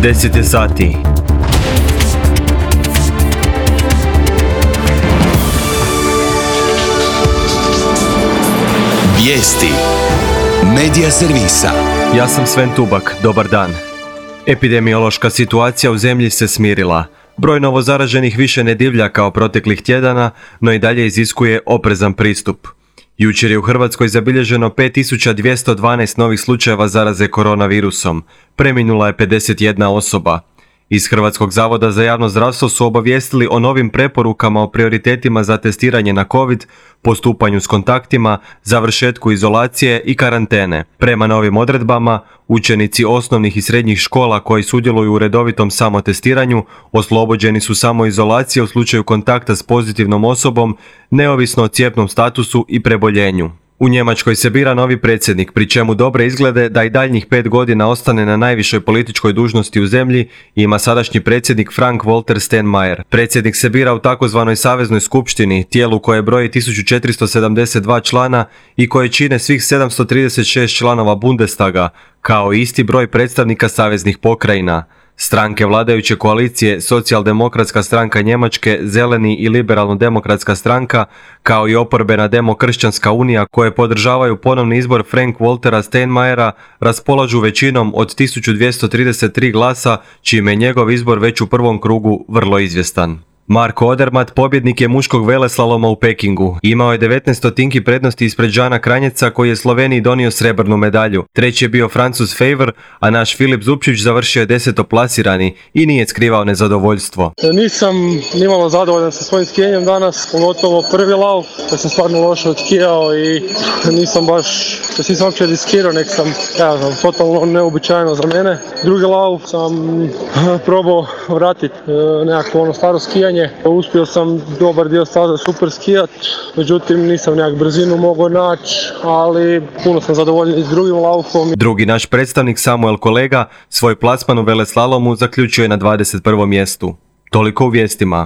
10 je sati. Vijesti Medija servisa. Ja sam Sven Tubak, dobar dan. Epidemiološka situacija u zemlji se smirila. Broj novozaraženih više ne divlja kao proteklih tjedana, no i dalje iziskuje oprezan pristup. Jučer je u Hrvatskoj zabilježeno 5212 novih slučajeva zaraze koronavirusom. Preminula je 51 osoba. Iz Hrvatskog zavoda za javno zdravstvo su obavijestili o novim preporukama o prioritetima za testiranje na COVID, postupanju s kontaktima, završetku izolacije i karantene. Prema novim odredbama, učenici osnovnih i srednjih škola koji sudjeluju u redovitom samotestiranju oslobođeni su samoizolacije u slučaju kontakta s pozitivnom osobom, neovisno o cjepnom statusu i preboljenju. U Njemačkoj se bira novi predsjednik, pri čemu dobre izglede da i daljnjih 5 godina ostane na najvišoj političkoj dužnosti u zemlji ima sadašnji predsjednik Frank-Walter Steinmeier. Predsjednik se bira u takozvanoj saveznoj skupštini, tijelu koje broji 1472 člana i koje čine svih 736 članova Bundestaga, kao i isti broj predstavnika saveznih pokrajina. Stranke vladajuće koalicije, Socijaldemokratska stranka Njemačke, Zeleni i Liberalno-demokratska stranka, kao i oporbena Demokršćanska unija koje podržavaju ponovni izbor Frank-Waltera Steinmeiera, raspolažu većinom od 1233 glasa, čime je njegov izbor već u prvom krugu vrlo izvjestan. Marko Odermatt pobjednik je muškog veleslaloma u Pekingu. Imao je 19 stotinki prednosti ispred Žana Kranjeca koji je Sloveniji donio srebrnu medalju. Treći je bio Francuz Favre, a naš Filip Zupčić završio je 10. plasirani i nije skrivao nezadovoljstvo. Nisam nimalo zadovoljan sa svojim skijenjem danas, pogotovo prvi lauf, da sam stvarno loše odskijao i nisam uopće riskirao, nek sam, totalno neobičajno za mene. Drugi lauf sam probao vratiti nekako ono staro skijanje. Uspio sam dobar dio staza super skijat, međutim nisam nekak brzinu mogao naći, ali puno sam zadovoljan i s drugim laufom. Drugi naš predstavnik Samuel Kolega svoj plasman u veleslalomu zaključio je na 21. mjestu. Toliko u vijestima.